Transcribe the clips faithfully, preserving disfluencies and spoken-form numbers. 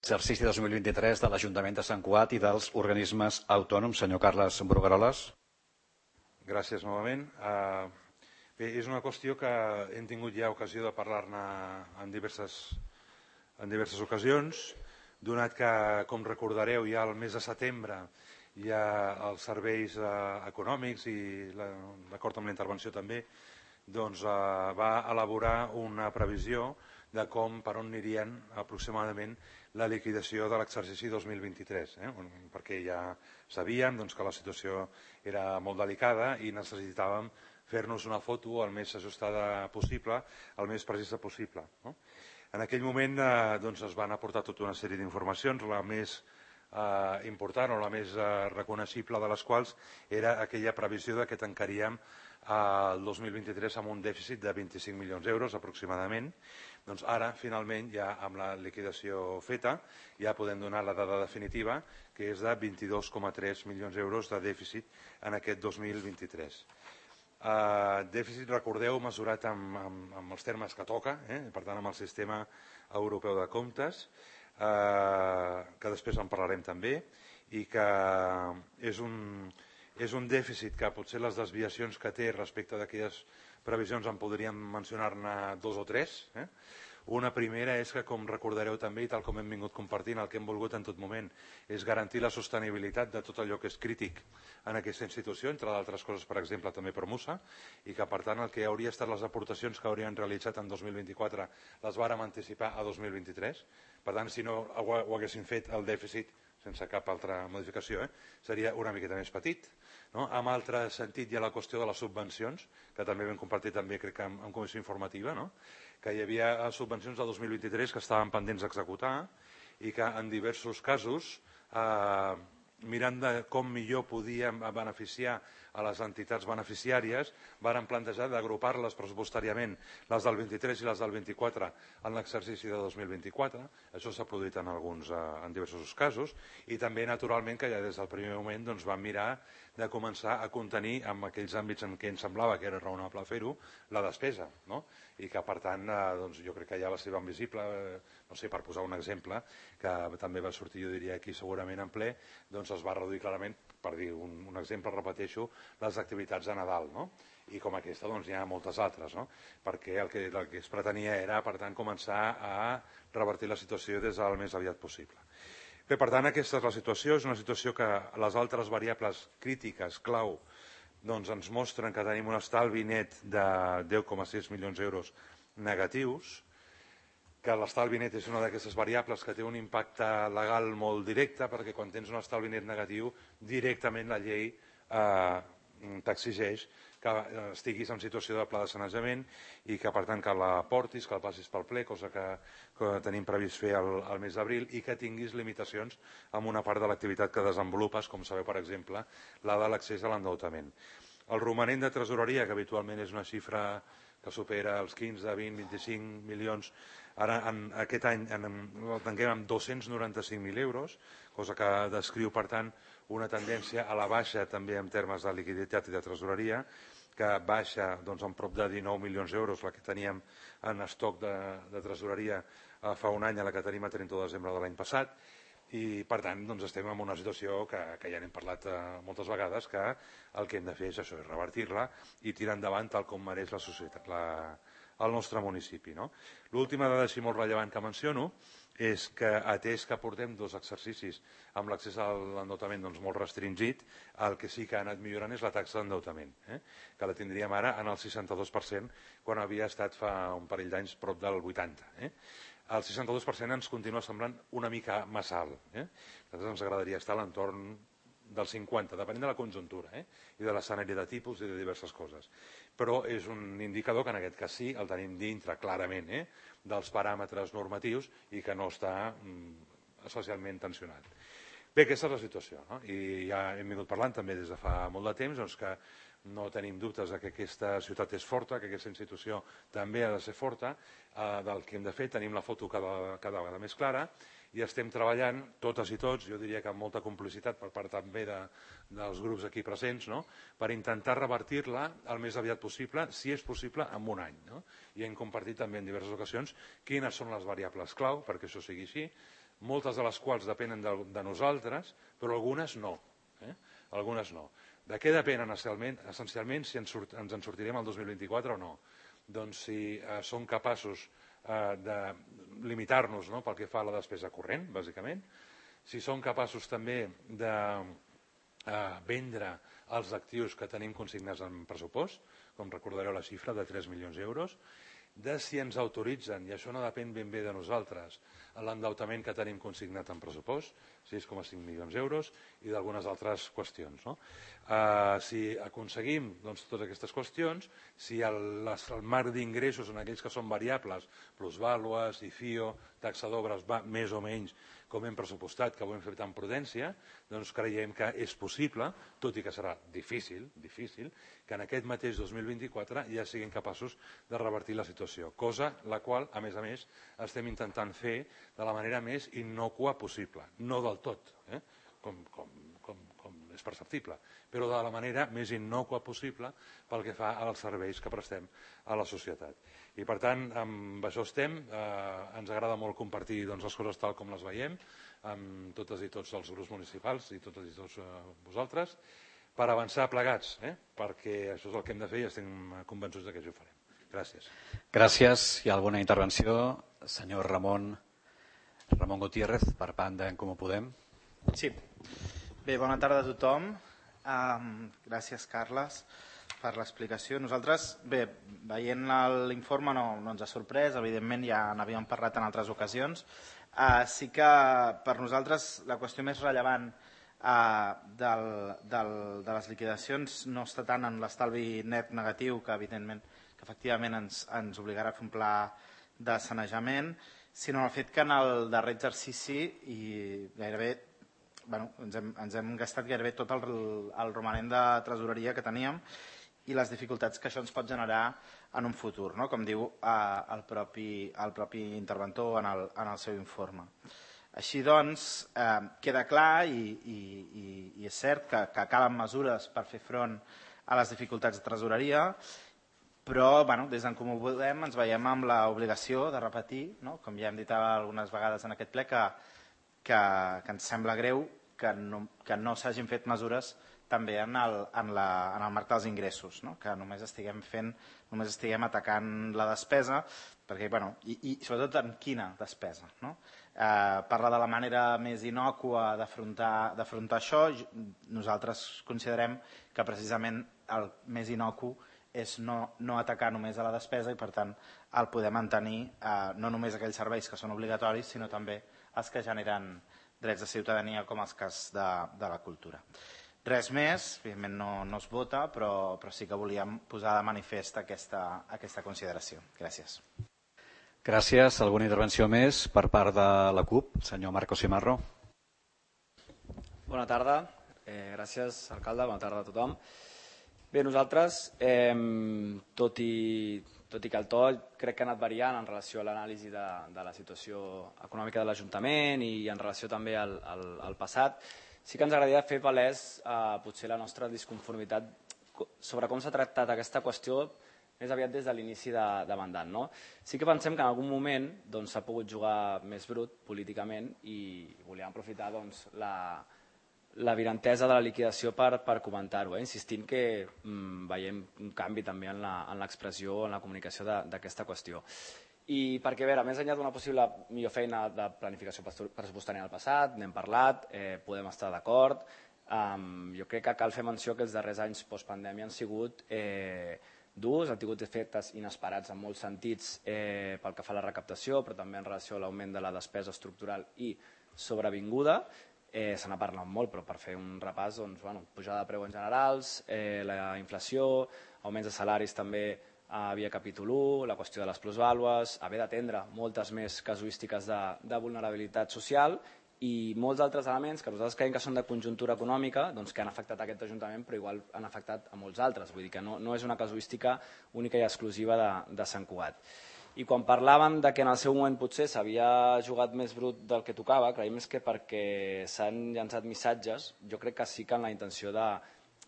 exercici dos mil vint-i-tres de l'Ajuntament de Sant Cugat i dels organismes autònoms. Senyor Carles Brugueroles. Gràcies novament. Bé, és una qüestió que hem tingut ja ocasió de parlar-ne en diverses, en diverses ocasions, donat que, com recordareu, ja al mes de setembre hi ha els serveis econòmics i d'acord amb la intervenció també, doncs va elaborar una previsió de com, per on anirien aproximadament la liquidació de l'exercici dos mil vint-i-tres, eh? perquè ja sabíem doncs, que la situació era molt delicada i necessitàvem fer-nos una foto el més ajustada possible, el més precisa possible. No? En aquell moment eh, doncs, es van aportar tota una sèrie d'informacions, la més eh, important o la més eh, reconeixible de les quals era aquella previsió de que tancaríem el dos mil vint-i-tres amb un dèficit de vint-i-cinc milions d'euros aproximadament. Doncs ara, finalment, ja amb la liquidació feta, ja podem donar la dada definitiva, que és de vint-i-dos coma tres milions d'euros de dèficit en aquest dos mil vint-i-tres. Uh, dèficit, recordeu, mesurat amb, amb, amb els termes que toca, eh? Per tant, amb el sistema europeu de comptes, uh, que després en parlarem també, i que és un... és un dèficit que potser les desviacions que té respecte d'aquelles previsions en podríem mencionar-ne dos o tres. Eh? Una primera és que, com recordareu també, i tal com hem vingut compartint, el que hem volgut en tot moment és garantir la sostenibilitat de tot allò que és crític en aquesta institució, entre d'altres coses, per exemple, també per Musa, i que, per tant, el que hauria estat les aportacions que haurien realitzat en dos mil vint-i-quatre les vàrem anticipar a dos mil vint-i-tres. Per tant, si no ho, ho haguessin fet, el dèficit sense cap altra modificació, eh? seria una miqueta més petit. No? En altre sentit hi ha la qüestió de les subvencions, que també vam compartir també, crec que en, en comissió informativa, no? Que hi havia subvencions del dos mil vint-i-tres que estaven pendents d'executar i que en diversos casos, eh, mirant de com millor podíem beneficiar a les entitats beneficiàries, varen plantejar d'agrupar-les pressupostàriament, les del vint-i-tres i les del vint-i-quatre, en l'exercici de dos mil vint-i-quatre. Això s'ha produït en alguns, en diversos casos, i també, naturalment, que ja des del primer moment doncs, vam mirar de començar a contenir, en aquells àmbits en què ens semblava que era raonable fer-ho, la despesa, no? I que, per tant, doncs, jo crec que ja va ser ben visible, no sé, per posar un exemple, que també va sortir, jo diria, aquí segurament en ple, doncs es va reduir clarament, per dir un, un exemple, repeteixo, les activitats de Nadal, no? I com aquesta doncs, hi ha moltes altres, no? Perquè el que, el que es pretenia era, per tant, començar a revertir la situació des del més aviat possible. Bé, per tant, aquesta és la situació, és una situació que les altres variables crítiques, clau, doncs ens mostren que tenim un estalvi net de deu coma sis milions d'euros negatius, que l'estalvi net és una d'aquestes variables que té un impacte legal molt directe, perquè quan tens un estalvi net negatiu, directament la llei eh, t'exigeix que estiguis en situació de pla de sanejament i que, per tant, que la portis, que la passis pel ple, cosa que, que tenim previst fer el, el mes d'abril, i que tinguis limitacions en una part de l'activitat que desenvolupes, com sabeu, per exemple, la de l'accés a l'endeutament. El romanent de tresoreria, que habitualment és una xifra que supera els quinze, vint, vint-i-cinc milions, ara en aquest any en, el tanquem amb dos-cents noranta-cinc mil euros, cosa que descriu, per tant, una tendència a la baixa també en termes de liquiditat i de tresoreria, que baixa doncs, en prop de dinou milions d'euros, la que teníem en estoc de, de tresoreria eh, fa un any, a la que tenim a trenta de desembre de l'any passat, i per tant doncs, estem en una situació que, que ja n'hem parlat eh, moltes vegades, que el que hem de fer és això, és revertir-la i tirar endavant tal com mereix la societat, la, el nostre municipi. No? L'última dada així molt rellevant que menciono és que, atès que portem dos exercicis amb l'accés a l'endeutament doncs, molt restringit, el que sí que ha anat millorant és la taxa d'endeutament, eh? que la tindríem ara en el seixanta-dos per cent, quan havia estat fa un parell d'anys prop del vuitanta per cent. Eh? El seixanta-dos per cent ens continua semblant una mica massa alt. Eh? A nosaltres ens agradaria estar a l'entorn del cinquanta, depenent de la conjuntura eh? i de l'escenari de tipus i de diverses coses. Però és un indicador que en aquest cas sí el tenim dintre clarament eh? dels paràmetres normatius i que no està mm, especialment tensionat. Bé, aquesta és la situació, no? I ja hem vingut parlant també des de fa molt de temps doncs, que no tenim dubtes que aquesta ciutat és forta, que aquesta institució també ha de ser forta, eh, del que hem de fer, tenim la foto cada, cada vegada més clara i estem treballant totes i tots, jo diria que amb molta complicitat per part també de, dels grups aquí presents, no? Per intentar revertir-la el més aviat possible, si és possible, en un any. No? I hem compartit també en diverses ocasions quines són les variables clau perquè això sigui així, moltes de les quals depenen de, de nosaltres, però algunes no. Eh? Algunes no. De què depenen essencialment, essencialment si ens, surt, ens en sortirem el dos mil vint-i-quatre o no? Doncs si eh, som capaços eh, de limitar-nos, no?, pel que fa a la despesa corrent, bàsicament, si som capaços també de eh, vendre els actius que tenim consignats en pressupost, com recordareu la xifra de tres milions d'euros, de si ens autoritzen, i això no depèn ben bé de nosaltres, l'endeutament que tenim consignat en pressupost, sis coma cinc milions d'euros, i d'algunes altres qüestions. No? Uh, si aconseguim doncs, totes aquestes qüestions, si el, les, el marc d'ingressos en aquells que són variables, plusvàlues, I F I O, taxa d'obres, va més o menys com hem pressupostat, que ho hem fet amb prudència, doncs creiem que és possible, tot i que serà difícil, difícil, que en aquest mateix dos mil vint-i-quatre ja siguin capaços de revertir la situació, cosa la qual, a més a més, estem intentant fer de la manera més innocua possible, no del tot, eh? com, com, com, com és perceptible, però de la manera més innocua possible pel que fa als serveis que prestem a la societat. I per tant, amb això estem, eh, ens agrada molt compartir doncs, les coses tal com les veiem, amb totes i tots els grups municipals i totes i tots eh, vosaltres, per avançar plegats, eh? perquè això és el que hem de fer i estem convençuts que això ho farem. Gràcies. Gràcies. Hi ha alguna intervenció? Senyor Ramon, Ramon Gutiérrez, per part d'en Comú Podem. Sí. Bé, bona tarda a tothom. Um, gràcies, Carles, per l'explicació. Nosaltres, bé, veient l'informe no, no ens ha sorprès, evidentment ja n'havíem parlat en altres ocasions. Uh, sí que per nosaltres la qüestió més rellevant uh, del, del, de les liquidacions no està tant en l'estalvi net negatiu, que evidentment que efectivament ens, ens obligarà a fer un pla de sanejament, sinó el fet que en el darrer exercici i gairebé bueno, ens, hem, ens hem gastat gairebé tot el, el romanent de tresoreria que teníem i les dificultats que això ens pot generar en un futur, no? Com diu eh, el, propi, el propi interventor en el, en el seu informe. Així doncs, eh, queda clar i, i, i, i és cert que, que calen mesures per fer front a les dificultats de tresoreria, però bueno, des d'en Comú Podem ens veiem amb l'obligació de repetir, no? Com ja hem dit algunes vegades en aquest ple, que, que, que ens sembla greu que no, que no s'hagin fet mesures també en el, en la, en el marc dels ingressos, no? Que només estiguem fent, només estiguem atacant la despesa, perquè, bueno, i, i sobretot en quina despesa, no? Eh, parla de la manera més innòcua d'afrontar això. Nosaltres considerem que precisament el més innocu és no, no atacar només a la despesa i per tant el poder mantenir eh, no només aquells serveis que són obligatoris sinó també els que generen drets de ciutadania com els cas de, de la cultura. Res més, evidentment no, no es vota, però, però sí que volíem posar de manifest aquesta, aquesta consideració. Gràcies. Gràcies. Alguna intervenció més per part de la CUP? Senyor Marcos Cimarro. Bona tarda. Eh, gràcies, alcalde. Bona tarda a tothom. Bé, nosaltres, eh, tot, i, tot i que el to crec que ha anat variant en relació a l'anàlisi de, de la situació econòmica de l'Ajuntament i en relació també al, al, al passat, sí que ens agradaria fer palès eh, potser la nostra disconformitat sobre com s'ha tractat aquesta qüestió més aviat des de l'inici de, de mandat. No? Sí que pensem que en algun moment s'ha doncs, pogut jugar més brut políticament i volíem aprofitar doncs, la la virantesa de la liquidació per, per comentar-ho, eh? insistint que mm, veiem un canvi també en l'expressió, en la comunicació d'aquesta qüestió. I perquè, a veure, més enllà d'una possible millor feina de planificació pressupostària en el passat, n'hem parlat, eh, podem estar d'acord, um, jo crec que cal fer menció que els darrers anys postpandèmia han sigut eh, durs, han tingut efectes inesperats en molts sentits eh, pel que fa a la recaptació, però també en relació a l'augment de la despesa estructural i sobrevinguda. Eh, se n'ha parlat molt, però per fer un repàs, doncs, bueno, pujada de preu en generals, eh, la inflació, augments de salaris també a via capítol u, la qüestió de les plusvàlues, haver d'atendre moltes més casuístiques de, de vulnerabilitat social i molts altres elements que nosaltres creiem que són de conjuntura econòmica, doncs, que han afectat aquest Ajuntament, però igual han afectat a molts altres. Vull dir que no, no és una casuística única i exclusiva de, de Sant Cugat. I quan parlaven de que en el seu moment potser s'havia jugat més brut del que tocava, creiem que perquè s'han llançat missatges, jo crec que sí que en la intenció de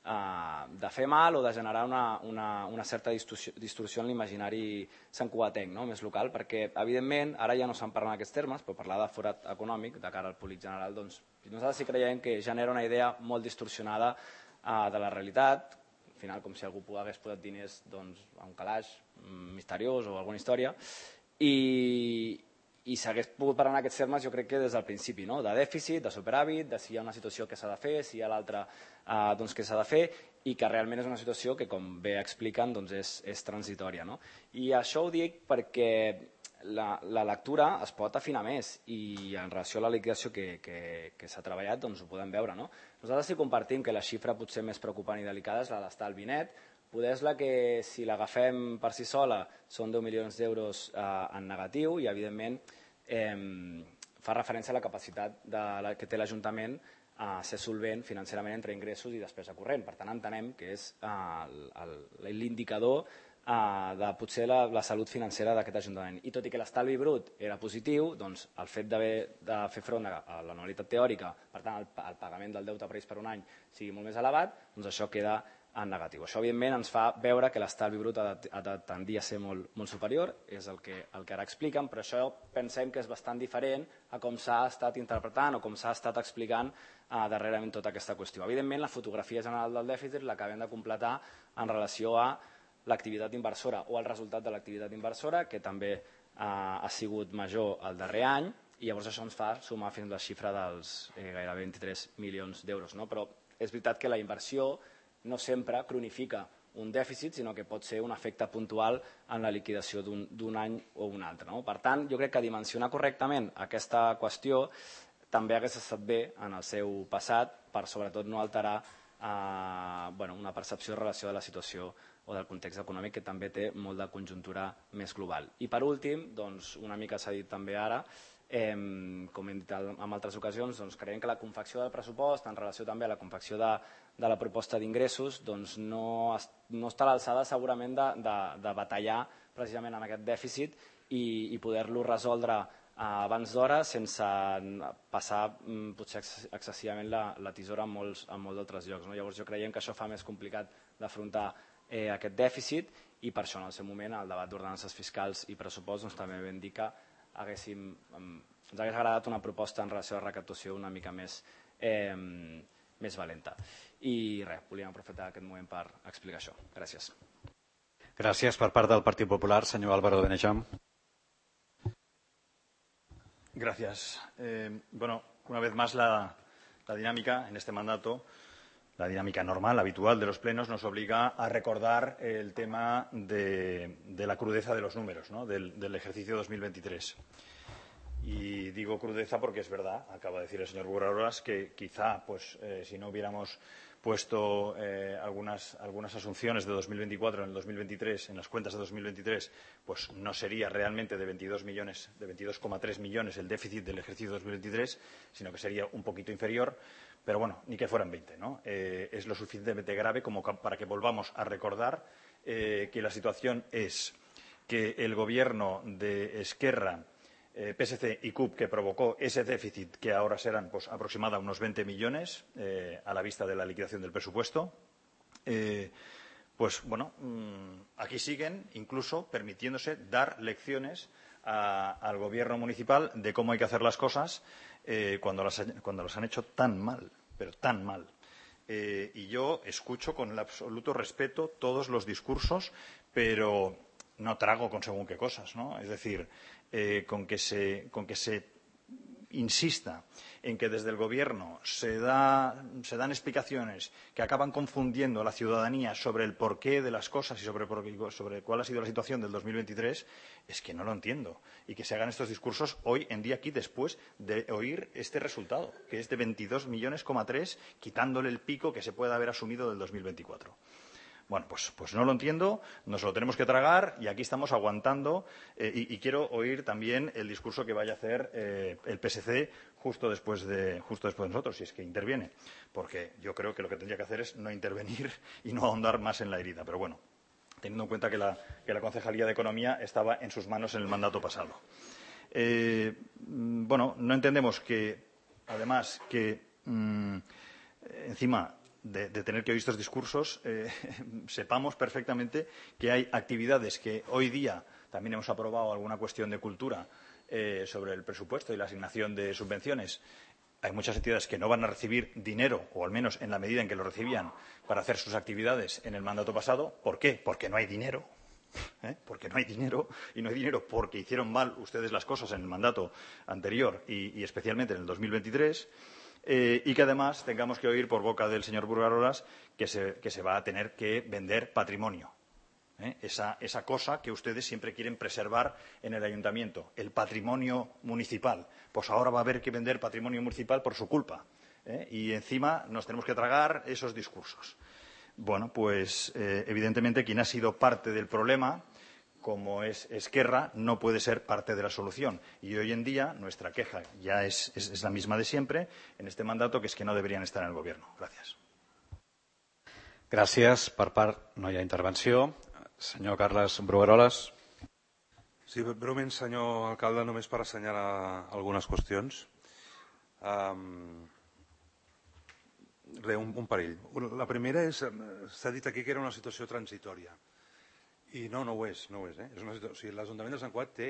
de fer mal o de generar una, una, una certa distorsió, distorsió en l'imaginari santcugatenc, no? Més local, perquè evidentment ara ja no se'n parla en aquests termes, però parlar de forat econòmic de cara al públic general, doncs nosaltres sí creiem que genera una idea molt distorsionada uh, de la realitat. Al final, com si algú hagués posat diners doncs, a un calaix misteriós o alguna història, i, i s'hagués pogut parlar en aquests termes jo crec que des del principi, no? De dèficit, de superàvit, de si hi ha una situació que s'ha de fer, si hi ha l'altra eh, doncs, que s'ha de fer, i que realment és una situació que, com bé expliquen, doncs és, és transitòria. No? I això ho dic perquè la, la lectura es pot afinar més i en relació a la liquidació que, que, que s'ha treballat doncs ho podem veure. No? Nosaltres sí compartim que la xifra potser més preocupant i delicada és la d'estalvi net. Poder és la que, si l'agafem per si sola, són deu milions d'euros eh, en negatiu i, evidentment, eh, fa referència a la capacitat de la, que té l'Ajuntament a ser solvent financerament entre ingressos i despesa corrent. Per tant, entenem que és eh, l'indicador eh, de potser la, la salut financera d'aquest Ajuntament. I tot i que l'estalvi brut era positiu, doncs el fet de fer front a l'anualitat teòrica, per tant, el, el pagament del deute previst per un any sigui molt més elevat, doncs això queda en negatiu. Això, evidentment, ens fa veure que l'estalvi brut ha de, ha de tendir a ser molt, molt superior, és el que, el que ara expliquen, però això pensem que és bastant diferent a com s'ha estat interpretant o com s'ha estat explicant eh, darrerament tota aquesta qüestió. Evidentment, la fotografia general del dèficit l'acabem de completar en relació a l'activitat inversora o el resultat de l'activitat inversora, que també eh, ha sigut major el darrer any, i llavors això ens fa sumar fins a la xifra dels eh, gairebé vint-i-tres milions d'euros. No? Però és veritat que la inversió no sempre cronifica un dèficit, sinó que pot ser un efecte puntual en la liquidació d'un any o un altre. No? Per tant, jo crec que dimensionar correctament aquesta qüestió també hagués estat bé en el seu passat per sobretot no alterar eh, bueno, una percepció en relació a la situació o del context econòmic que també té molt de conjuntura més global. I per últim, doncs, una mica s'ha dit també ara, Eh, com hem dit en altres ocasions, doncs creiem que la confecció del pressupost en relació també a la confecció de, de la proposta d'ingressos doncs no, es, no està a l'alçada segurament de, de, de batallar precisament en aquest dèficit i, i poder-lo resoldre eh, abans d'hora sense passar mm, potser excessivament la, la tisora en molts, en molts altres llocs. No? Llavors jo creiem que això fa més complicat d'afrontar eh, aquest dèficit i per això en el seu moment el debat d'ordenances fiscals i pressupost doncs, també vam dir que haguéssim, ens hagués agradat una proposta en relació a la recaptació una mica més, eh, més valenta. I res, volíem aprofitar aquest moment per explicar això. Gràcies. Gràcies. Per part del Partit Popular, senyor Álvaro Benejam. Gracias. Eh, bueno, una vez más la, la dinámica en este mandato, la dinámica normal, habitual de los plenos, nos obliga a recordar el tema de, de la crudeza de los números, ¿no? del, del ejercicio dos mil veintitrés. Y digo crudeza porque es verdad, acaba de decir el señor Burrarolas, que quizá pues, eh, si no hubiéramos puesto eh, algunas, algunas asunciones de dos mil veinticuatro en el dos mil veintitrés, en las cuentas de dos mil veintitrés, pues no sería realmente de veintidós millones, de veintidós coma tres millones el déficit del ejercicio dos mil veintitrés, sino que sería un poquito inferior. Pero bueno, ni que fueran veinte, ¿no? Eh, es lo suficientemente grave como para que volvamos a recordar eh, que la situación es que el gobierno de Esquerra, eh, P S C y C U P, que provocó ese déficit, que ahora serán pues, aproximadamente unos veinte millones eh, a la vista de la liquidación del presupuesto, eh, pues bueno, mmm, aquí siguen incluso permitiéndose dar lecciones a, al gobierno municipal de cómo hay que hacer las cosas eh, cuando, las, cuando las han hecho tan mal, pero tan mal. Eh, y yo escucho con el absoluto respeto todos los discursos, pero no trago con según qué cosas, ¿no? Es decir, eh, con que se, con que se insista en que desde el Gobierno se, da, se dan explicaciones que acaban confundiendo a la ciudadanía sobre el porqué de las cosas y sobre, sobre cuál ha sido la situación del dos mil veintitrés, es que no lo entiendo. Y que se hagan estos discursos hoy en día aquí después de oír este resultado, que es de veintidós millones coma tres, quitándole el pico que se puede haber asumido del dos mil veinticuatro. Bueno, pues, pues no lo entiendo, nos lo tenemos que tragar y aquí estamos aguantando eh, y, y quiero oír también el discurso que vaya a hacer eh, el P S C justo después, de, justo después de nosotros, si es que interviene, porque yo creo que lo que tendría que hacer es no intervenir y no ahondar más en la herida. Pero bueno, teniendo en cuenta que la, que la Concejalía de Economía estaba en sus manos en el mandato pasado. Eh, bueno, no entendemos que, además, que mmm, encima de, de tener que oír estos discursos, eh, sepamos perfectamente que hay actividades que hoy día también hemos aprobado alguna cuestión de cultura eh, sobre el presupuesto y la asignación de subvenciones. Hay muchas entidades que no van a recibir dinero, o al menos en la medida en que lo recibían, para hacer sus actividades en el mandato pasado. ¿Por qué? Porque no hay dinero. ¿Eh? Porque no hay dinero, y no hay dinero porque hicieron mal ustedes las cosas en el mandato anterior y, y especialmente en el dos mil veintitrés. Eh, y que además tengamos que oír por boca del señor Burgarolas que se, que se va a tener que vender patrimonio. ¿Eh? Esa, esa cosa que ustedes siempre quieren preservar en el ayuntamiento, el patrimonio municipal. Pues ahora va a haber que vender patrimonio municipal por su culpa. ¿Eh? Y encima nos tenemos que tragar esos discursos. Bueno, pues eh, evidentemente quien ha sido parte del problema, como es Esquerra, no puede ser parte de la solución. Y hoy en día nuestra queja ya es, es, es la misma de siempre en este mandato, que es que no deberían estar en el Gobierno. Gracias. Gràcies. Per part no hi ha intervenció. Senyor Carles Brugueroles. Sí, breument, senyor alcalde, només per assenyalar algunes qüestions. Um, Re, un, un parell. La primera és, s'ha dit aquí que era una situació transitòria. I no, no ho és. No ho és, eh? És una situació, o sigui, l'Ajuntament de Sant Cugat té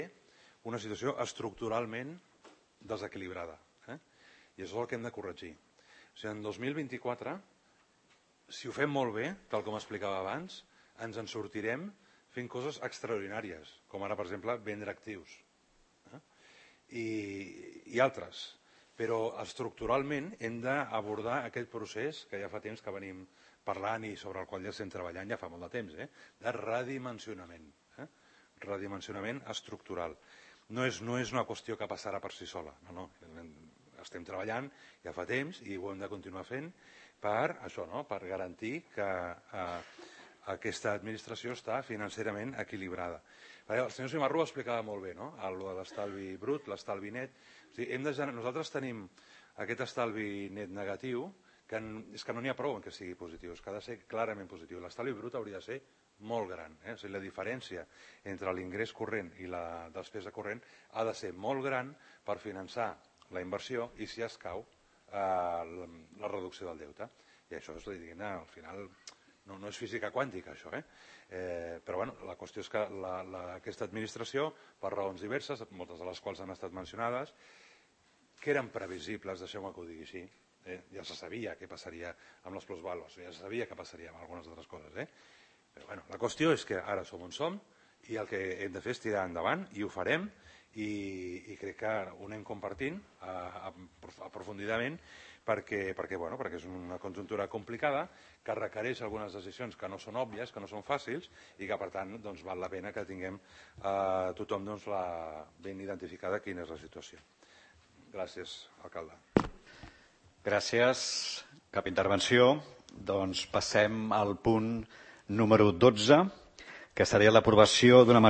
una situació estructuralment desequilibrada. Eh? I això és el que hem de corregir. O sigui, en dos mil vint-i-quatre, si ho fem molt bé, tal com explicava abans, ens en sortirem fent coses extraordinàries, com ara, per exemple, vendre actius. Eh? I, i altres. Però estructuralment hem d'abordar aquest procés que ja fa temps que venim parlant i sobre el qual ja estem treballant ja fa molt de temps, eh? de redimensionament. Eh? Redimensionament estructural. No és, no és una qüestió que passarà per si sola. No, no. Estem treballant ja fa temps i ho hem de continuar fent per, això, no? per garantir que eh, aquesta administració està financerament equilibrada. El senyor Simarro ho explicava molt bé, no? El de l'estalvi brut, l'estalvi net. O sigui, hem de, nosaltres tenim aquest estalvi net negatiu, que en, és que no n'hi ha prou en que sigui positiu, és que ha de ser clarament positiu. L'estalvi brut hauria de ser molt gran. Eh? O sigui, la diferència entre l'ingrés corrent i la despesa corrent ha de ser molt gran per finançar la inversió i, si escau, eh, la, la reducció del deute. I això és, diguem, al final, no, no és física quàntica, això, eh? Eh, però bueno, la qüestió és que la, la, aquesta administració, per raons diverses, moltes de les quals han estat mencionades, que eren previsibles, deixeu-me que ho digui així, eh? ja se sabia què passaria amb les plusvalues, ja se sabia què passaria amb algunes altres coses. Eh? Però bueno, la qüestió és que ara som on som i el que hem de fer és tirar endavant i ho farem i, i crec que ho anem compartint aprofundidament perquè, perquè, bueno, perquè és una conjuntura complicada que requereix algunes decisions que no són òbvies, que no són fàcils i que per tant doncs, val la pena que tinguem eh, tothom doncs, la, ben identificada quina és la situació. Gràcies, alcalde. Gràcies. Cap intervenció. Doncs passem al punt número dotze, que seria l'aprovació d'una mesura